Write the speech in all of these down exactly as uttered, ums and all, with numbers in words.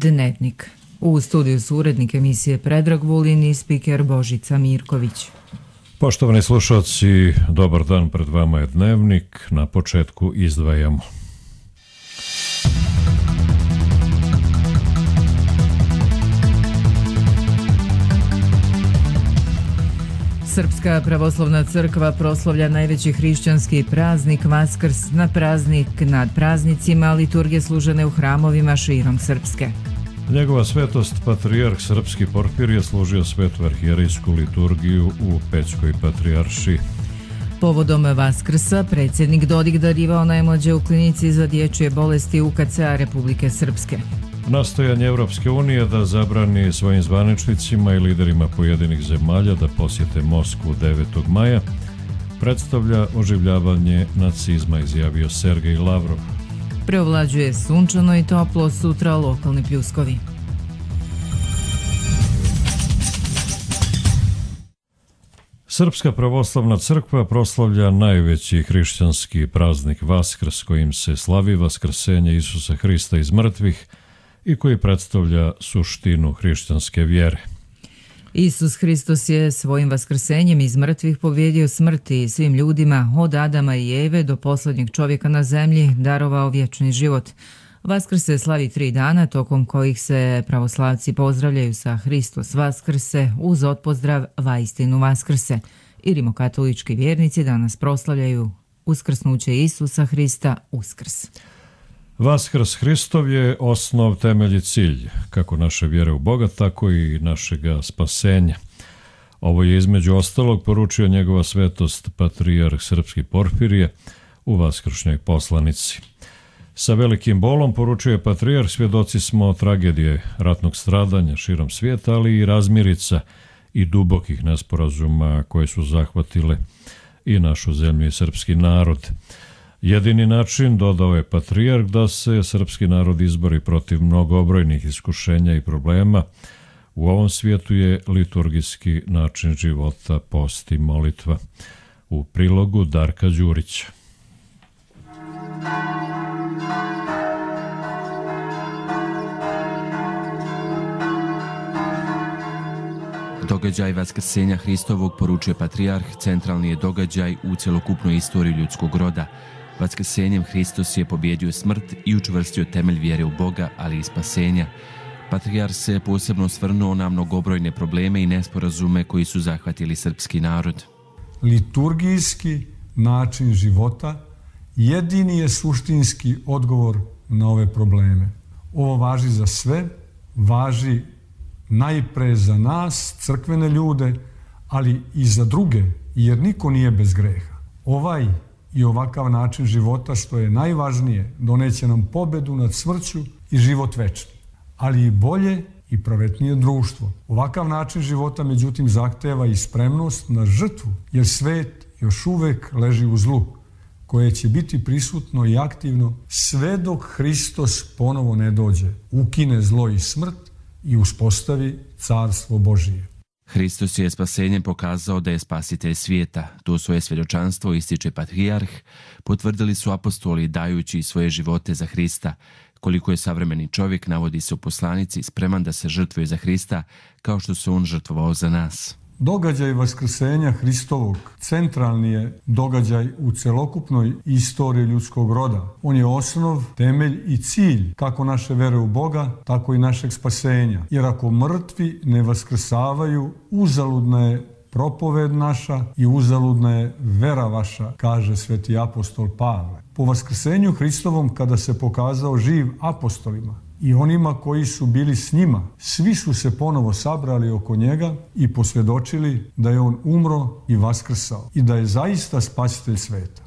Dnevnik. U studiju su urednik emisije Predrag Vulin i spiker Božica Mirković. Poštovani slušalci, dobar dan, pred vama je Dnevnik. Na početku izdvajamo. Srpska pravoslavna crkva proslavlja najveći hrišćanski praznik Vaskrs. Na praznik nad praznicima liturgije služene u hramovima širom Srpske. Njegova svetost patrijarh Srpski Porfirije služio svetu arhijerejsku liturgiju u Pećkoj patrijaršiji. Povodom Vaskrsa predsjednik Dodik darivao najmlađe u klinici za dječje bolesti U K C-a Republike Srpske. Nastojanje Evropske unije da zabrani svojim zvaničnicima i liderima pojedinih zemalja da posjete Moskvu devetog maja predstavlja oživljavanje nacizma, izjavio Sergej Lavrov. Preovlađuje sunčano i toplo, sutra lokalni pljuskovi. Srpska pravoslavna crkva proslavlja najveći hrišćanski praznik Vaskrs, kojim se slavi vaskrsenje Isusa Hrista iz mrtvih i koji predstavlja suštinu hrišćanske vjere. Isus Hristos je svojim vaskrsenjem iz mrtvih pobjedio smrti i svim ljudima od Adama i Eve do posljednjeg čovjeka na zemlji darovao vječni život. Vaskrs se slavi tri dana, tokom kojih se pravoslavci pozdravljaju sa Hristos Vaskrse uz otpozdrav Vaistinu Vaskrse. I rimokatolički vjernici danas proslavljaju uskrsnuće Isusa Hrista Uskrs. Vaskrs Hristov je osnov, temelj i cilj, kako naše vjere u Boga, tako i našega spasenja. Ovo je između ostalog poručio njegova svetost patrijarh Srpski Porfirije u vaskršnjoj poslanici. Sa velikim bolom, poručuje patrijarh, svjedoci smo tragedije ratnog stradanja širom svijeta, ali i razmirica i dubokih nesporazuma koje su zahvatile i našu zemlju i srpski narod. Jedini način, dodao je patrijarh, da se srpski narod izbori protiv mnogobrojnih iskušenja i problema u ovom svijetu je liturgijski način života, post i molitva. U prilogu Darka Đurića. Događaj Vaskrsenja Hristovog, poručuje patrijarh, centralni je događaj u cjelokupnoj istoriji ljudskog roda. Vaskrsenjem Hristos je pobjedio smrt i učvrstio temelj vjere u Boga, ali i spasenja. Patrijarh se posebno osvrnuo na mnogobrojne probleme i nesporazume koji su zahvatili srpski narod. Liturgijski način života jedini je suštinski odgovor na ove probleme. Ovo važi za sve, važi najpre za nas, crkvene ljude, ali i za druge, jer niko nije bez greha. Ovaj i ovakav način života, što je najvažnije, doneće nam pobedu nad smrću i život večni, ali i bolje i pravetnije društvo. Ovakav način života, međutim, zahteva i spremnost na žrtvu, jer svet još uvek leži u zlu, koje će biti prisutno i aktivno sve dok Hristos ponovo ne dođe, ukine zlo i smrt i uspostavi carstvo Božije. Hristos je spasenjem pokazao da je spasitelj svijeta. To svoje svjedočanstvo ističe patrijarh, potvrdili su apostoli dajući svoje živote za Hrista. Koliko je savremeni čovjek, navodi se u poslanici, spreman da se žrtvuje za Hrista, kao što se on žrtvovao za nas. Događaj Vaskrsenja Hristovog centralni je događaj u celokupnoj istoriji ljudskog roda. On je osnov, temelj i cilj kako naše vere u Boga, tako i našeg spasenja. Jer ako mrtvi ne vaskrsavaju, uzaludna je propoved naša i uzaludna je vera vaša, kaže sveti apostol Pavle. Po Vaskrsenju Hristovom, kada se pokazao živ apostolima i onima koji su bili s njima, svi su se ponovo sabrali oko njega i posvjedočili da je on umro i vaskrsao i da je zaista spasitelj sveta.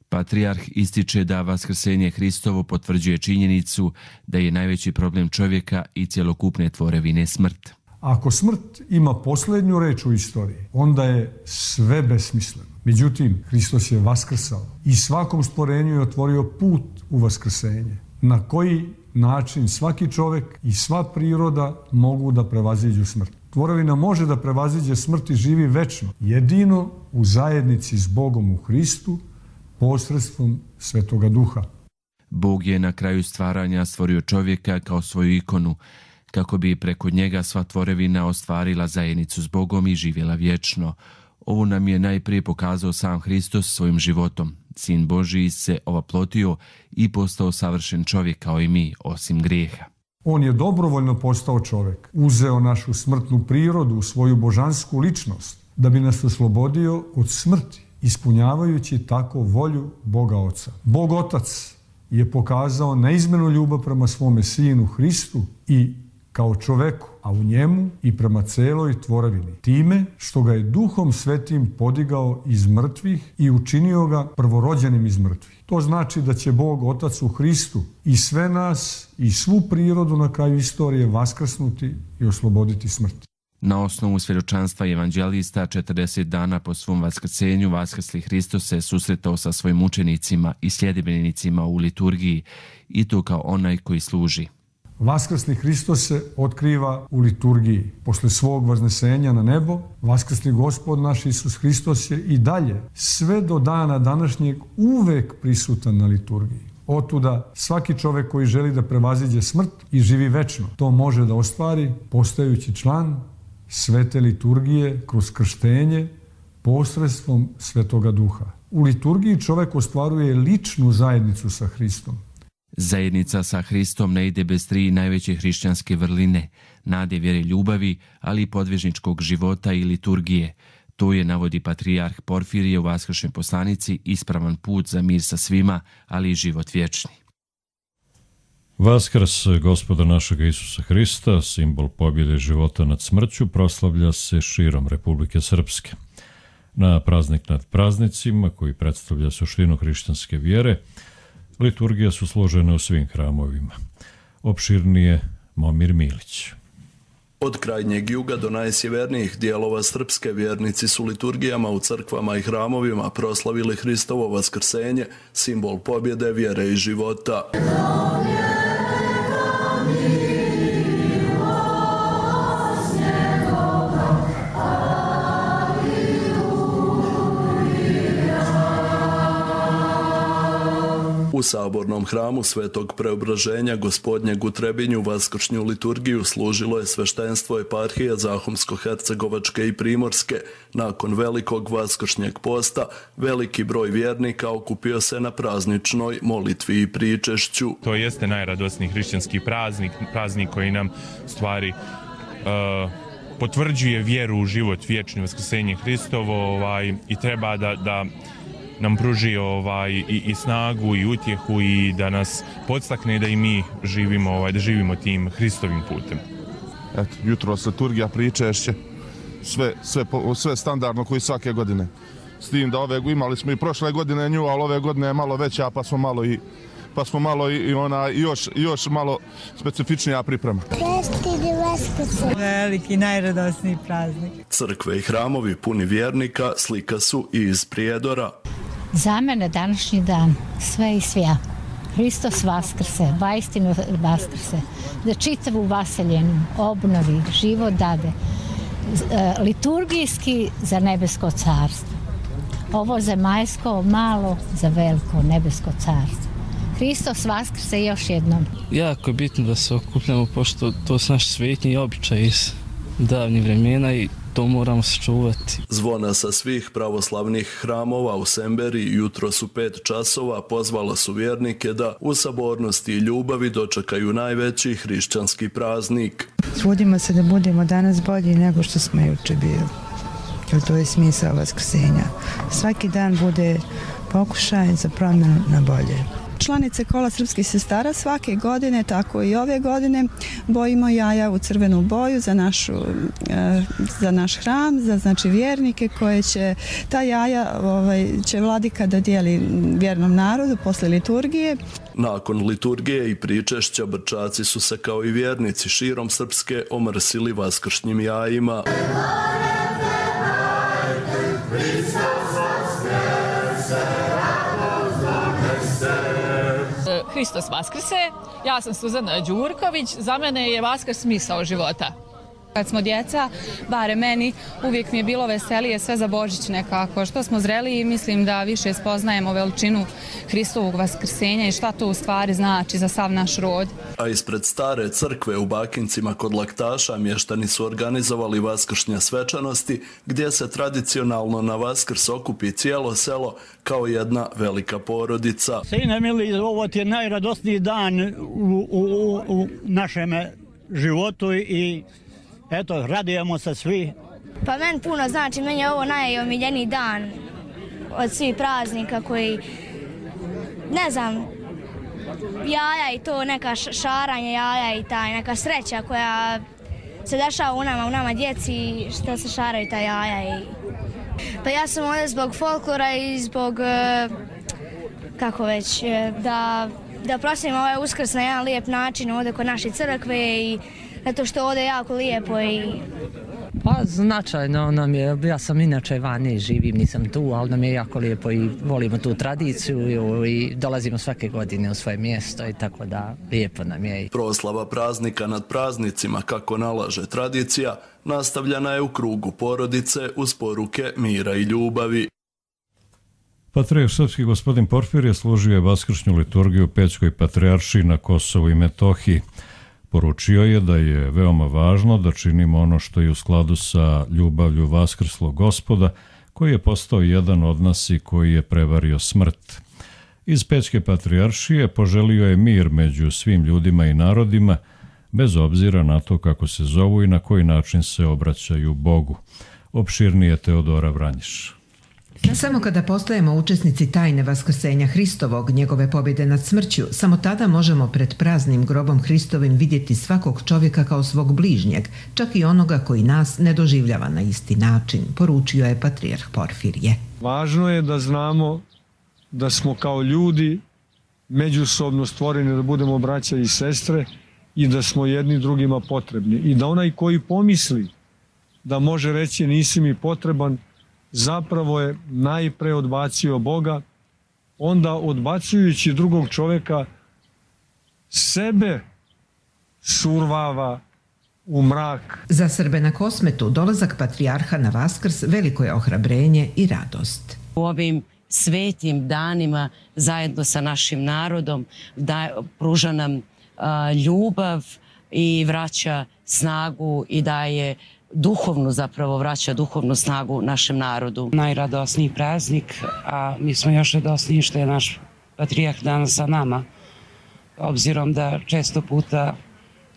Patrijarh ističe da Vaskrsenje Hristovo potvrđuje činjenicu da je najveći problem čovjeka i cjelokupne tvorevine smrt. Ako smrt ima posljednju reč u istoriji, onda je sve besmisleno. Međutim, Hristos je vaskrsao i svakom stvorenju je otvorio put u vaskrsenje, na koji način svaki čovjek i sva priroda mogu da prevaziđu smrt. Tvorevina može da prevaziđe smrt i živi večno, jedino u zajednici s Bogom u Hristu, posredstvom Svetoga Duha. Bog je na kraju stvaranja stvorio čovjeka kao svoju ikonu. kako bi preko njega sva tvorevina ostvarila zajednicu s Bogom i živjela vječno. Ovo nam je najprije pokazao sam Hristos svojim životom. Sin Božiji se ovaplotio i postao savršen čovjek kao i mi, osim grijeha. On je dobrovoljno postao čovjek, uzeo našu smrtnu prirodu, svoju božansku ličnost, da bi nas oslobodio od smrti, ispunjavajući tako volju Boga Oca. Bog Otac je pokazao neizmjernu ljubav prema svome Sinu Hristu i kao čoveku, a u njemu i prema celoj tvorevini, time što ga je Duhom Svetim podigao iz mrtvih i učinio ga prvorođenim iz mrtvih. To znači da će Bog Otac u Hristu i sve nas i svu prirodu na kraju istorije vaskrsnuti i osloboditi smrti. Na osnovu svjedočanstva evanđelista, četrdeset dana po svom vaskrsenju, vaskrsli Hristos se susretao sa svojim učenicima i sljedbenicima u liturgiji, i to kao onaj koji služi. Vaskrsli Hristos se otkriva u liturgiji. Posle svog vaznesenja na nebo, vaskrsli Gospod naš Isus Hristos je i dalje, sve do dana današnjeg, uvek prisutan na liturgiji. Otuda svaki čovjek koji želi da prevaziđe smrt i živi večno, to može da ostvari postajući član svete liturgije kroz krštenje posredstvom Svetoga Duha. U liturgiji čovjek ostvaruje ličnu zajednicu sa Hristom. Zajednica sa Hristom ne ide bez tri najveće hrišćanske vrline, nade, vjere, ljubavi, ali i podvižničkog života i liturgije. To je, navodi patrijarh Porfirije u vaskršnjoj poslanici, ispravan put za mir sa svima, ali i život vječni. Vaskrs Gospoda našega Isusa Hrista, simbol pobjede života nad smrću, proslavlja se širom Republike Srpske. Na praznik nad praznicima, koji predstavlja suštinu hrišćanske vjere, liturgije su složene u svim hramovima. Opširnije Momir Milić. Od krajnjeg juga do najsjevernijih dijelova Srpske vjernici su liturgijama u crkvama i hramovima proslavili Hristovo vaskrsenje, simbol pobjede, vjere i života. U sabornom hramu Svetog Preobraženja Gospodnjeg u Trebinju vaskršnju liturgiju služilo je sveštenstvo eparhije Zahumsko-Hercegovačke i Primorske. Nakon velikog vaskršnjeg posta, veliki broj vjernika okupio se na prazničnoj molitvi i pričešću. To jeste najradosniji hrišćanski praznik, praznik koji nam stvari uh, potvrđuje vjeru u život vječni, vaskrsenje Hristovo, ovaj, i treba da, da nam pruži ovaj, i, i snagu i utjehu i da nas podstakne da i mi živimo, ovaj, da živimo tim Hristovim putem. Eto, jutros liturgija, pričešće, sve, sve, sve standardno koji svake godine. S tim da ove imali smo i prošle godine nju, ali ove godine je malo veća, pa smo malo i pa smo malo i, i ona još još malo specifičnija priprema. Veliki, najradosniji praznik. Crkve i hramovi puni vjernika slika su i iz Prijedora. Za mene današnji dan sve i svja. Hristos vaskrse, vaistinu vaskrse, da čitavu vaseljenu obnovi, život dade, liturgijski za nebesko carstvo. Ovo zemaljsko malo za veliko nebesko carstvo. Hristos vaskrse još jednom. Jako je bitno da se okupljamo, pošto to su naši svetnji običaji iz davnih vremena i to moramo sačuvati. Zvona sa svih pravoslavnih hramova u Semberi jutro su pet časova pozvala su vjernike da u sabornosti i ljubavi dočekaju najveći hrišćanski praznik. Trudimo se da budemo danas bolji nego što smo juče bili, jer to je smisao vaskrsenja. Svaki dan bude pokušaj za promjenu na bolje. Članice Kola srpskih sestara svake godine, tako i ove godine, bojimo jaja u crvenu boju za, našu, za naš hram, za znači vjernike koje će, ta jaja ovaj, će vladika da dijeli vjernom narodu posle liturgije. Nakon liturgije i pričešća Brčaci su se kao i vjernici širom Srpske omrsili vaskršnjim jajima. Hristos vaskrse, ja sam Suzana Đurković, za mene je Vaskrs smisao života. Kad smo djeca, bare meni, uvijek mi je bilo veselije sve za Božić nekako. Što smo zreli, mislim da više spoznajemo veličinu Hristovog vaskrsenja i šta to u stvari znači za sav naš rod. A ispred stare crkve u Bakincima kod Laktaša mještani su organizovali vaskršnje svečanosti gdje se tradicionalno na Vaskrs okupi cijelo selo kao jedna velika porodica. Sine mili, ovo ti je najradosniji dan u, u, u našem životu i eto, radujemo se svi. Pa meni puno znači, meni je ovo najomiljeniji dan od svih praznika koji, ne znam, jaja i to, neka šaranje jaja i taj, neka sreća koja se dešava u nama, u nama djeci, što se šaraju ta jaja. I... Pa ja sam ovdje zbog folklora i zbog, kako već, da, da proslavim ovaj Uskrs na jedan lijep način ovdje kod naše crkve i zato što ovdje je jako lijepo i... Pa značajno nam je, ja sam inače vani, živim, nisam tu, ali nam je jako lijepo i volimo tu tradiciju i dolazimo svake godine u svoje mjesto i tako da lijepo nam je. Proslava praznika nad praznicima, kako nalaže tradicija, nastavljena je u krugu porodice uz poruke mira i ljubavi. Patrijarh srpski gospodin Porfirije služio je vaskršnju liturgiju u Pećkoj patrijaršiji na Kosovu i Metohiji. Poručio je da je veoma važno da činimo ono što je u skladu sa ljubavlju vaskrslog Gospoda, koji je postao jedan od nas i koji je prevario smrt. Iz Pećke patrijaršije poželio je mir među svim ljudima i narodima, bez obzira na to kako se zovu i na koji način se obraćaju Bogu. Opširnije Teodora Vranjiš. Samo kada postajemo učesnici tajne vaskrsenja Hristovog, njegove pobjede nad smrću, samo tada možemo pred praznim grobom Hristovim vidjeti svakog čovjeka kao svog bližnjeg, čak i onoga koji nas ne doživljava na isti način, poručio je patrijarh Porfirije. Važno je da znamo da smo kao ljudi međusobno stvoreni da budemo braća i sestre i da smo jedni drugima potrebni. I da onaj koji pomisli da može reći nisi mi potreban, zapravo je najpre odbacio Boga, onda odbacujući drugog čovjeka sebe survava u mrak. Za Srbe na Kosmetu dolazak patrijarha na Vaskrs veliko je ohrabrenje i radost. U ovim svetim danima zajedno sa našim narodom da pruža nam a, ljubav i vraća snagu i daje duhovnu, zapravo vraća duhovnu snagu našem narodu. Najradosniji praznik, a mi smo još radosniji što je naš patrijarh danas sa nama, obzirom da često puta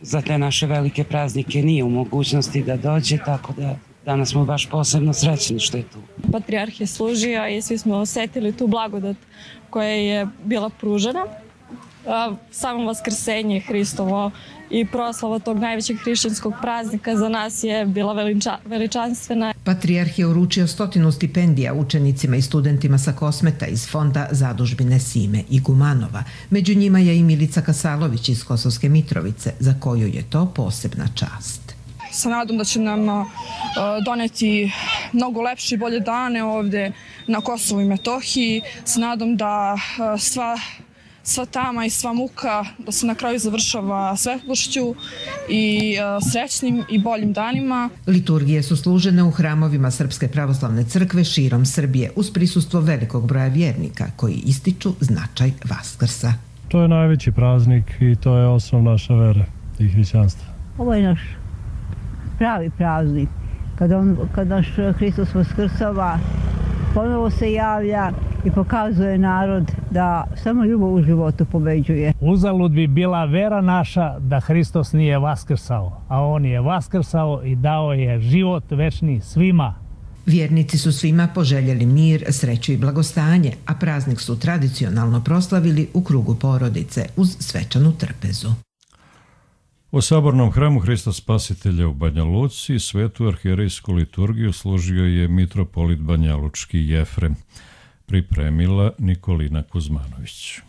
za te naše velike praznike nije u mogućnosti da dođe, tako da danas smo baš posebno srećni što je tu. Patrijarh je služio i svi smo osjetili tu blagodat koja je bila pružena. Samo vaskrsenje Hristovo i proslava tog najvećeg hrišćanskog praznika za nas je bila veliča, veličanstvena. Patrijarh je uručio stotinu stipendija učenicima i studentima sa Kosmeta iz fonda zadužbine Sime i Gumanova. Među njima je i Milica Kasalović iz Kosovske Mitrovice, za koju je to posebna čast. Sa nadom da će nam uh, doneti mnogo lepše i bolje dane ovdje na Kosovu i Metohiji, sa nadom da uh, sva sva tama i sva muka da se na kraju završava svetlošću i uh, srećnim i boljim danima. Liturgije su služene u hramovima Srpske pravoslavne crkve širom Srbije uz prisustvo velikog broja vjernika koji ističu značaj Vaskrsa. To je najveći praznik i to je osnov naše vere i hrišćanstva. Ovo je naš pravi praznik. Kad, on, kad naš Hristos vaskrsava, ponovo se javlja i pokazuje narod da samo ljubav u životu pobeđuje. Uzalud bi bila vera naša da Hristos nije vaskrsao, a on je vaskrsao i dao je život večni svima. Vjernici su svima poželjeli mir, sreću i blagostanje, a praznik su tradicionalno proslavili u krugu porodice uz svečanu trpezu. U sabornom hramu Hrista Spasitelja u Banja Luci svetu arhijerejsku liturgiju služio je mitropolit banjalučki Jefrem. Pripremila Nikolina Kuzmanović.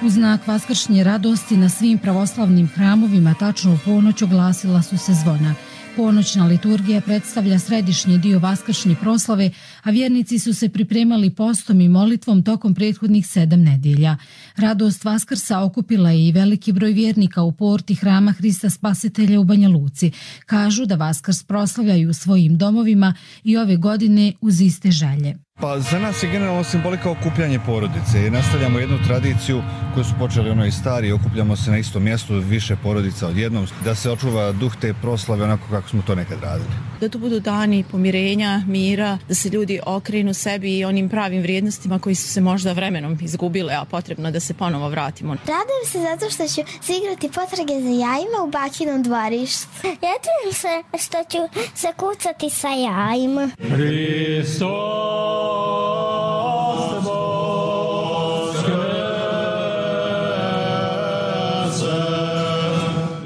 U znak vaskršnje radosti na svim pravoslavnim hramovima tačno u ponoć oglasila su se zvona. Ponoćna liturgija predstavlja središnji dio vaskršnje proslave, a vjernici su se pripremali postom i molitvom tokom prethodnih sedam nedjelja. Radost Vaskrsa okupila je i veliki broj vjernika u porti Hrama Hrista Spasitelja u Banja Luci. Kažu da Vaskrs proslavljaju u svojim domovima i ove godine uz iste želje. Pa za nas je generalno simbolika okupljanje porodice i nastavljamo jednu tradiciju koju su počeli ono i stari, okupljamo se na istom mjestu, više porodica odjednom, da se očuva duh te proslave onako kako smo to nekad radili. Da to budu dani pomirenja, mira, da se ljudi okrenu sebi i onim pravim vrijednostima koji su se možda vremenom izgubile, a potrebno da se ponovo vratimo. Radujem se zato što ću se igrati potrage za jajima u bakinom dvorištu. Radujem se što ću se kucati sa jajima. Hristos!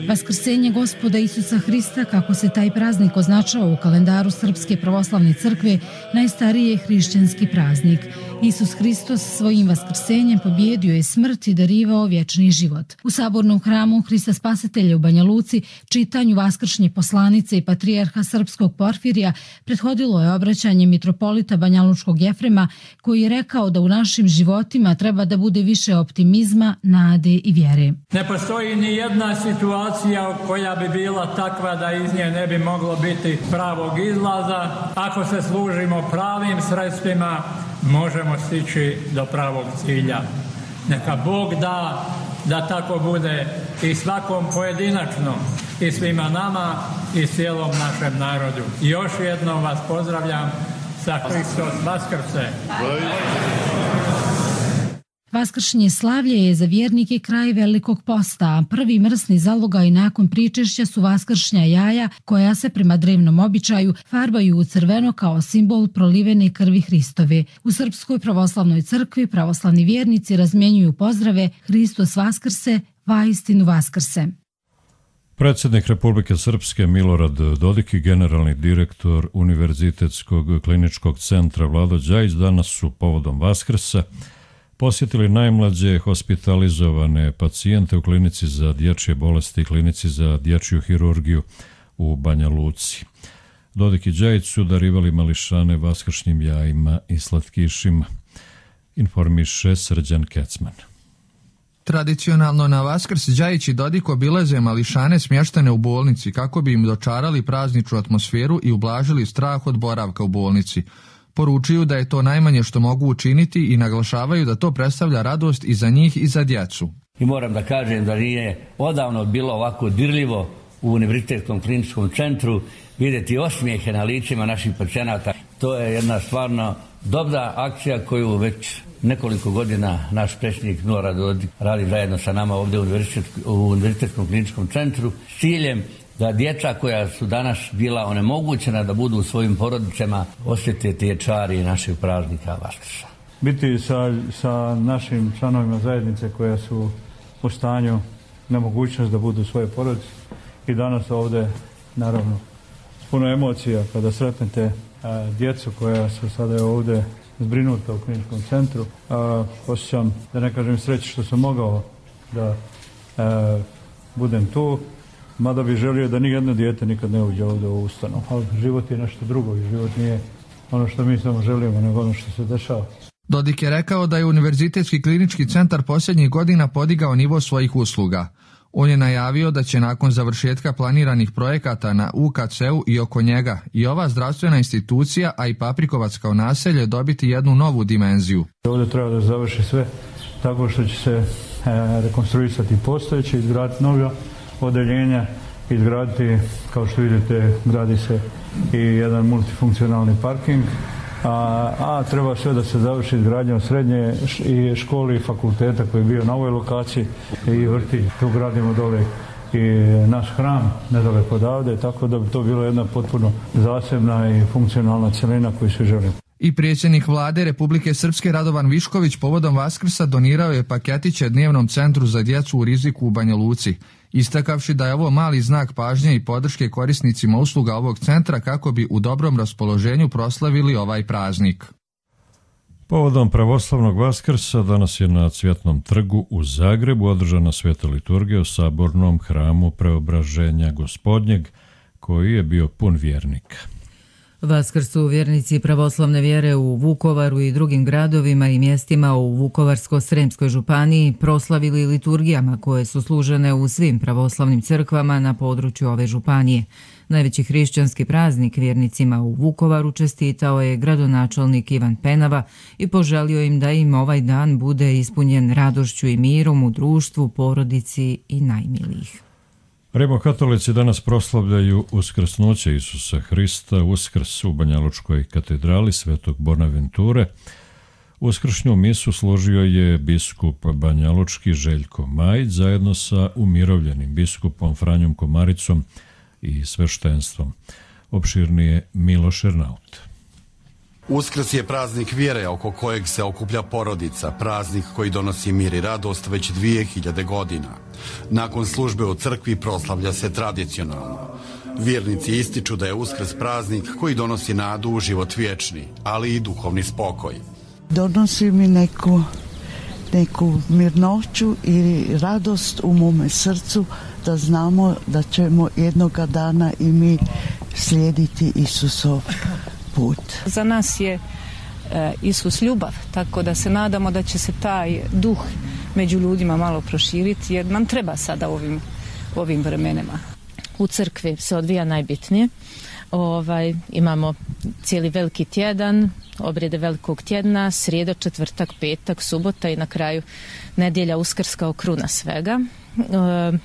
Vaskrsenje Gospoda Isusa Hrista, kako se taj praznik označava u kalendaru Srpske pravoslavne crkve, najstariji je hrišćanski praznik. Isus Hristos svojim vaskrsenjem pobjedio je smrt i darivao vječni život. U sabornom hramu Hrista Spasitelja u Banja Luci čitanju vaskršnje poslanice i patrijarha srpskog Porfirija prethodilo je obraćanje mitropolita banjalučkog Jefrema, koji je rekao da u našim životima treba da bude više optimizma, nade i vjere. Ne postoji ni jedna situacija koja bi bila takva da iz nje ne bi moglo biti pravog izlaza. Ako se služimo pravim sredstvima, možemo stići do pravog cilja. Neka Bog da da tako bude i svakom pojedinačno, i svima nama i cijelom našem narodu. I još jednom vas pozdravljam sa Hristos Vaskrse. Vaskršnje slavlje je za vjernike kraj Velikog posta, a prvi mrsni zalogaj nakon pričešća su vaskršnja jaja koja se prema drevnom običaju farbaju u crveno kao simbol prolivene krvi Hristove. U Srpskoj pravoslavnoj crkvi pravoslavni vjernici razmjenjuju pozdrave Hristos Vaskrse, vaistinu Vaskrse. Predsjednik Republike Srpske Milorad Dodik i generalni direktor Univerzitetskog kliničkog centra Vlado Đajić danas su povodom Vaskrsa posjetili najmlađe hospitalizovane pacijente u klinici za dječje bolesti i klinici za dječju hirurgiju u Banja Luci. Dodik i Đajić su darivali mališane vaskršnjim jajima i slatkišima, informiše Srđan Kecman. Tradicionalno na Vaskrs Đajić i Dodik obilaze mališane smještene u bolnici kako bi im dočarali prazničnu atmosferu i ublažili strah od boravka u bolnici. Poručuju da je to najmanje što mogu učiniti i naglašavaju da to predstavlja radost i za njih i za djecu. I moram da kažem da nije odavno bilo ovako dirljivo u Univerzitetskom kliničkom centru vidjeti osmijehe na ličima naših pacijenata. To je jedna stvarno dobra akcija koju već nekoliko godina naš predsjednik Milorad Dodik radi zajedno sa nama ovdje u Univerzitetskom kliničkom centru s ciljem da djeca koja su danas bila onemogućena da budu u svojim porodicama osjete te čari naših praznika Vaskrsa. Biti sa, sa našim članovima zajednice koja su u stanju nemogućnost da budu u svoje porodice i danas ovdje naravno s puno emocija kada sretnete a, djecu koja su sada ovdje zbrinuta u kliničkom centru. A, osjećam, da ne kažem sreći što sam mogao da a, budem tu. Mada bi želio da nijedno dijete nikad ne uđe ovdje u ustanovu. Ali život je nešto drugo i život nije ono što mi samo želimo, nego ono što se dešava. Dodik je rekao da je Univerzitetski klinički centar posljednjih godina podigao nivo svojih usluga. On je najavio da će nakon završetka planiranih projekata na U K C-u i oko njega i ova zdravstvena institucija, a i Paprikovac kao naselje dobiti jednu novu dimenziju. Ovdje treba da završi sve tako što će se e, rekonstruisati postojeći, izgraditi nova odeljenja, izgraditi, kao što vidite, gradi se i jedan multifunkcionalni parking, a, a treba sve da se završi izgradnjom srednje i škole i fakulteta koji je bio na ovoj lokaciji i vrtić. Tu gradimo dole i naš hram nedaleko odavde, tako da bi to bilo jedna potpuno zasebna i funkcionalna cjelina koju svi želimo. I predsjednik vlade Republike Srpske Radovan Višković povodom Vaskrsa donirao je paketiće dnevnom centru za djecu u riziku u Banja Luci, istakavši da je ovo mali znak pažnje i podrške korisnicima usluga ovog centra kako bi u dobrom raspoloženju proslavili ovaj praznik. Povodom pravoslavnog Vaskrsa danas je na Cvjetnom trgu u Zagrebu održana sveta liturgija u sabornom hramu Preobraženja Gospodnjeg, koji je bio pun vjernika. Vaskrs su vjernici pravoslavne vjere u Vukovaru i drugim gradovima i mjestima u Vukovarsko-sremskoj županiji proslavili liturgijama koje su služene u svim pravoslavnim crkvama na području ove županije. Najveći hrišćanski praznik vjernicima u Vukovaru čestitao je gradonačelnik Ivan Penava i poželio im da im ovaj dan bude ispunjen radošću i mirom u društvu, porodici i najmilijih. Rimokatolici danas proslavljaju uskrsnuće Isusa Hrista, Uskrs u Banjalučkoj katedrali Svetog Bonaventure. Uskršnju misu složio je biskup banjalučki Željko Majić zajedno sa umirovljenim biskupom Franjom Komaricom i sveštenstvom. Opširnije Miloš Ernaut. Uskrs je praznik vjere oko kojeg se okuplja porodica, praznik koji donosi mir i radost već dvije hiljade godina. Nakon službe u crkvi proslavlja se tradicionalno. Vjernici ističu da je Uskrs praznik koji donosi nadu u život vječni, ali i duhovni spokoj. Donosi mi neku, neku mirnoću i radost u mome srcu da znamo da ćemo jednoga dana i mi slijediti Isusov put. Za nas je e, Isus ljubav, tako da se nadamo da će se taj duh među ljudima malo proširiti, jer nam treba sada ovim, ovim vremenima. U crkvi se odvija najbitnije. Ovaj, imamo cijeli veliki tjedan, obrijede velikog tjedna, srijedo, četvrtak, petak, subota i na kraju nedjelja, Uskrs kao kruna svega. E,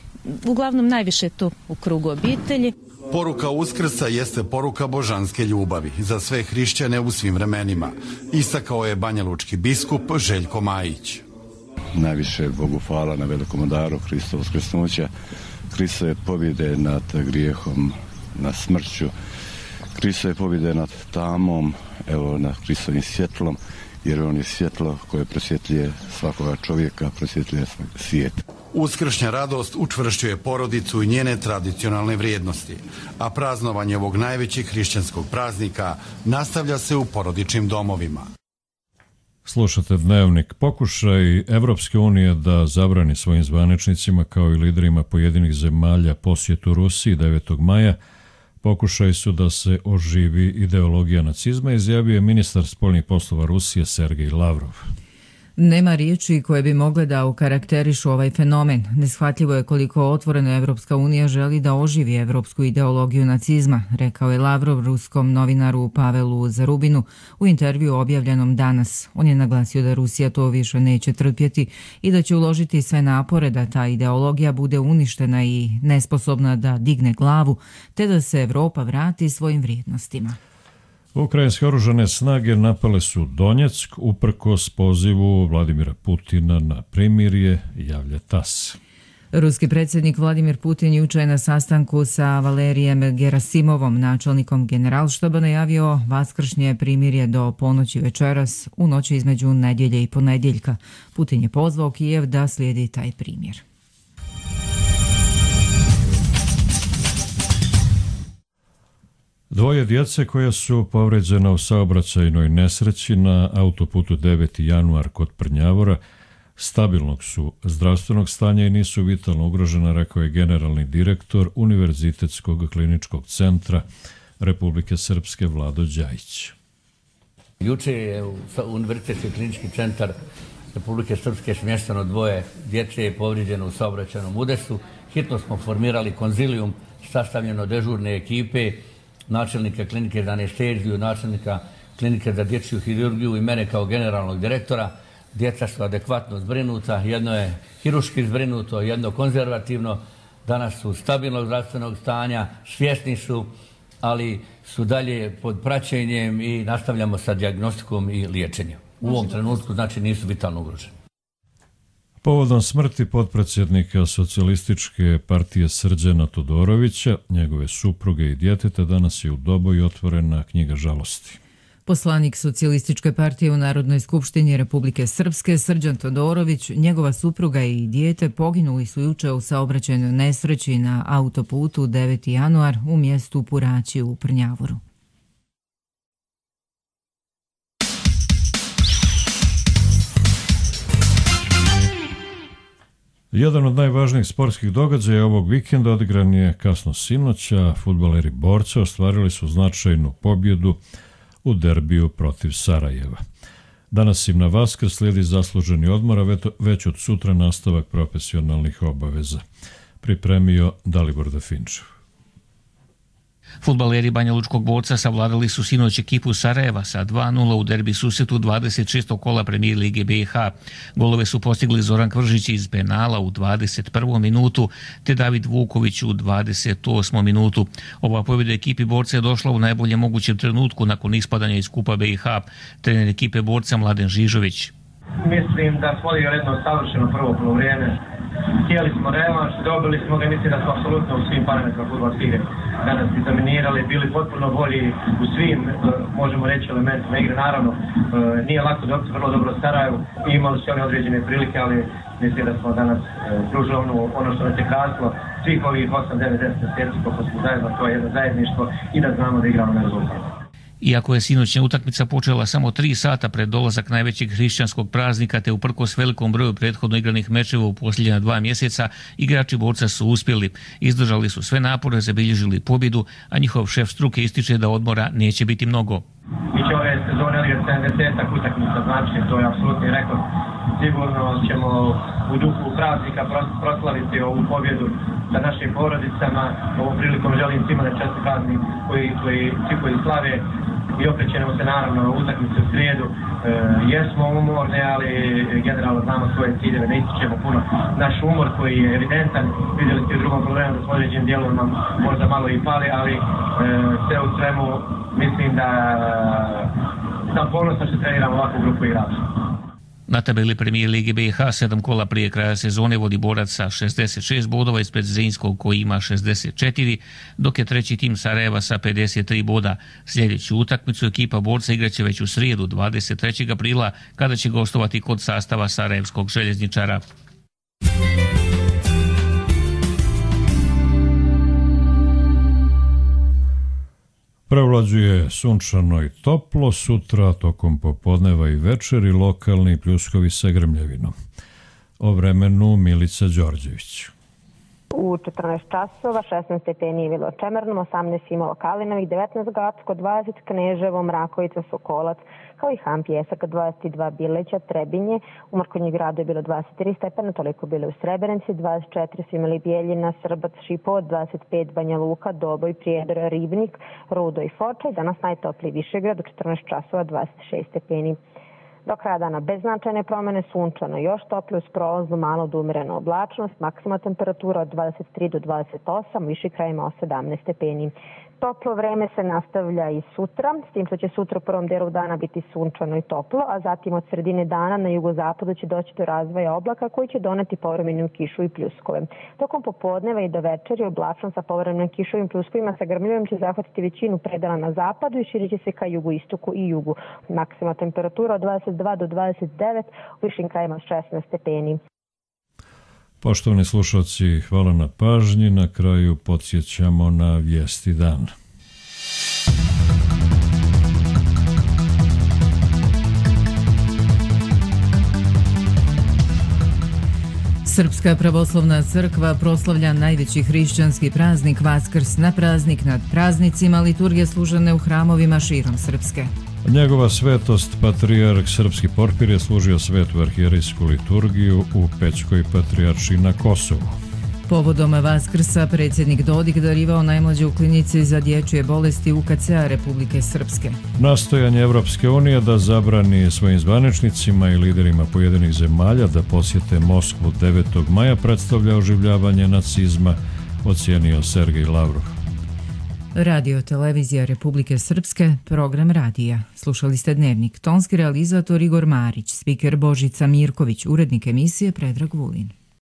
uglavnom najviše to u krugu obitelji. Poruka Uskrsa jeste poruka božanske ljubavi za sve hrišćane u svim vremenima, istakao je banjalučki biskup Željko Majić. Najviše Bogu hvala na velikom daru Hristova uskrsnuća, Hristove pobjede nad grijehom, nad smrću, Hristove pobjede nad tamom, evo nad Hristovim svjetlom, jer on je svjetlo koje prosvjetljuje svakoga čovjeka, prosvjetljuje svijet. Uskršnja radost učvršćuje porodicu i njene tradicionalne vrijednosti, a praznovanje ovog najvećeg hrišćanskog praznika nastavlja se u porodičnim domovima. Slušate Dnevnik. Pokušaj Evropske unije da zabrani svojim zvaničnicima kao i liderima pojedinih zemalja posjetu Rusiji devetog maja pokušaj su da se oživi ideologija nacizma, izjavio je ministar spoljnih poslova Rusije Sergej Lavrov. Nema riječi koje bi mogle da okarakterišu ovaj fenomen. Neshvatljivo je koliko otvoreno Evropska unija želi da oživi evropsku ideologiju nacizma, rekao je Lavrov ruskom novinaru Pavelu Zarubinu u intervju objavljenom danas. On je naglasio da Rusija to više neće trpjeti i da će uložiti sve napore da ta ideologija bude uništena i nesposobna da digne glavu, te da se Evropa vrati svojim vrijednostima. Ukrajinske oružane snage napale su Donjeck uprkos pozivu Vladimira Putina na primirje, javlja TAS. Ruski predsjednik Vladimir Putin jučer je na sastanku sa Valerijem Gerasimovom, načelnikom generalštaba, najavio vaskršnje primirje do ponoći večeras u noći između nedjelje i ponedjeljka. Putin je pozvao Kijev da slijedi taj primjer. Dvoje djece koja su povređena u saobraćajnoj nesreći na autoputu deveti januar kod Prnjavora stabilnog su zdravstvenog stanja i nisu vitalno ugrožena, rekao je generalni direktor Univerzitetskog kliničkog centra Republike Srpske Vlado Đajić. Juče je u Univerzitetski klinički centar Republike Srpske smješteno dvoje djece povrijeđeno u saobraćajnom udesu. Hitno smo formirali konzilijum sastavljeno od dežurne ekipe, načelnika klinike za anesteziju, načelnika klinike za dječju hirurgiju i mene kao generalnog direktora. Djeca su adekvatno zbrinuta, jedno je hiruški zbrinuto, jedno konzervativno. Danas su stabilnog zdravstvenog stanja, svjesni su, ali su dalje pod praćenjem i nastavljamo sa dijagnostikom i liječenjem. U ovom trenutku znači nisu vitalno ugroženi. Povodom smrti potpredsjednika Socijalističke partije Srđana Todorovića, njegove supruge i djeteta, danas je u Doboju otvorena knjiga žalosti. Poslanik Socijalističke partije u Narodnoj skupštini Republike Srpske Srđan Todorović, njegova supruga i dijete poginuli su jučer u saobraćajnoj nesreći na autoputu deveti januar u mjestu Puraći u Prnjavoru. Jedan od najvažnijih sportskih događaja ovog vikenda odigran je kasno sinoća. Fudbaleri Borca ostvarili su značajnu pobjedu u derbiju protiv Sarajeva. Danas im na Vaskrs slijedi zasluženi odmor, a već od sutra nastavak profesionalnih obaveza. Pripremio Dalibor Dafinčev. Fudbaleri Banjalučkog Borca savladali su sinoć ekipu Sarajeva sa dva nula u derbi susretu dvadeset šestog kola Premijer Lige B i H. Golove su postigli Zoran Kvržić iz penala u dvadeset prvom minutu te David Vuković u dvadeset osmom minutu. Ova pobjeda ekipi Borca je došla u najboljem mogućem trenutku nakon ispadanja iz Kupa B i H. Trener ekipe Borca Mladen Žižović. Mislim da smo odigrali jedno savršeno prvo polovrijeme. Htjeli smo revanš, dobili smo ga, mislim da smo apsolutno u svim parametrima fudbalske igre danas i dominirali, bili potpuno bolji u svim, možemo reći, elementima igre. Naravno, nije lako dobiti vrlo dobro Sarajevu, imali su oni određene prilike, ali mislim da smo danas pružili ono, ono što nas je kasilo svih ovih osam devet deset mjeseci koliko smo zajedno, to je jedno zajedništvo i da znamo da igramo na rezultat. Iako je sinoćna utakmica počela samo tri sata pred dolazak najvećeg hrišćanskog praznika te uprkos velikom broju prethodno igranih mečeva u posljednja dva mjeseca, igrači Borca su uspjeli. Izdržali su sve napore, zabilježili pobjedu, a njihov šef struke ističe da odmora neće biti mnogo. Mi će ove sezone odigrati sedamdesetak utakmica, znači to je apsolutni rekord. Sigurno ćemo u duhu praznika proslaviti ovu pobjedu sa našim porodicama. Ovom prilikom želim svima da čast praznik koji, koji, svi koji slave i okrećemo se naravno u utakmicu u srijedu. E, jesmo umorni, ali generalno znamo svoje ciljeve, ne ističemo puno. Naš umor koji je evidentan, vidjeli ste u drugom problemu da s određenim dijelom nam možda malo i pali, ali e, sve u svemu mislim da sam ponosno što treniramo ovakvu grupu igrača. Na tabeli Premijer Lige B i H sedam kola prije kraja sezone vodi Borac sa šezdeset šest bodova ispred Zrinskog koji ima šezdeset četiri, dok je treći tim Sarajeva sa pedeset tri boda. Sljedeću utakmicu ekipa Borca igraće već u srijedu dvadeset trećeg aprila kada će gostovati kod sastava Sarajevskog željezničara. Prevlađuje sunčano i toplo, sutra tokom popodneva i večeri lokalni pljuskovi sa grmljavinom. O vremenu Milica Đorđević. U četrnaest časova, šesnaest stepeni je bilo Čemernom, osamnaest imalo Kalinovih, devetnaest Gacko, dvadeset Kneževo, Mrakovica, Sokolac, kao i Han Pjesak, dvadeset dva Bileća, Trebinje, u Mrkonji gradu je bilo dvadeset tri stepena, toliko bilo u Srebrenici, dvadeset četiri su imali Bijeljina, Srbac, Šipovo, dvadeset pet Banja Luka, Doboj, Prijedor, Ribnik, Rudo i Foča i danas najtopliji Višegrad, u četrnaest časova, dvadeset šest stepeni. Do kraja dana bez značajne promjene, sunčano još toplije uz prolaznu malo do umerenu oblačnost, maksimalna temperatura od dvadeset tri do dvadeset osam, viši krajima od sedamnaest stepeni. Toplo vreme se nastavlja i sutra, s tim što će sutra u prvom delu dana biti sunčano i toplo, a zatim od sredine dana na jugozapadu će doći do razvoja oblaka koji će doneti povremenu kišu i pljuskove. Tokom popodneva i do večeri oblačno sa povremenim kišovim pljuskovima sa grmljivim će zahvatiti većinu predala na zapadu i širit će se ka jugoistoku i jugu. Maksimalna temperatura od dvadeset dva do dvadeset devet, u višim krajima šesnaest stepeni. Poštovani slušalci, hvala na pažnji. Na kraju podsjećamo na vijesti dana. Srpska pravoslavna crkva proslavlja najveći hrišćanski praznik Vaskrs. Na praznik nad praznicima liturgije služene u hramovima širom Srpske. Njegova svetost, patrijarh Srpski Porfir, je služio svetu arhijerejsku liturgiju u Pećkoj patrijaršiji na Kosovu. Povodom Vaskrsa predsjednik Dodik darivao najmlađe u klinici za dječje bolesti U K C-a Republike Srpske. Nastojanje Evropske unije da zabrani svojim zvaničnicima i liderima pojedinih zemalja da posjete Moskvu devetog maja predstavlja oživljavanje nacizma, ocijenio Sergej Lavrov. Radio Televizija Republike Srpske, program radija. Slušali ste Dnevnik. Tonski realizator Igor Marić, spiker Božica Mirković, urednik emisije Predrag Vulin.